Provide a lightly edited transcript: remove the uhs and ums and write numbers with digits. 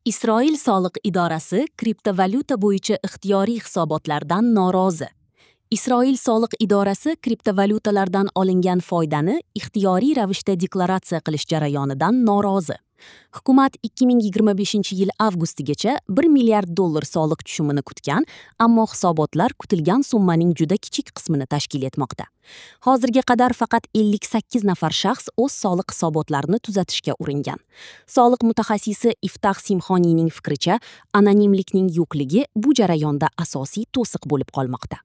Isroil soliq idorasi kriptovalyuta bo'yicha ixtiyoriy hisobotlardan norozi. Isroil soliq idorasi kriptovalyutalardan olingan foydani ixtiyoriy ravishda deklaratsiya qilish jarayonidan norozi. Hukumat 2025-yil avgustigacha 1 milliard dollar soliq tushumini kutgan, ammo hisobotlar kutilgan summaning juda kichik qismini tashkil etmoqda. Hozirga qadar faqat 58 nafar shaxs o'z soliq hisobotlarini tuzatishga uringan. Soliq mutaxassisi Iftax Simxoniyning fikricha, anonimlikning yo'qligi bu jarayonda asosiy to'siq bo'lib qolmoqda.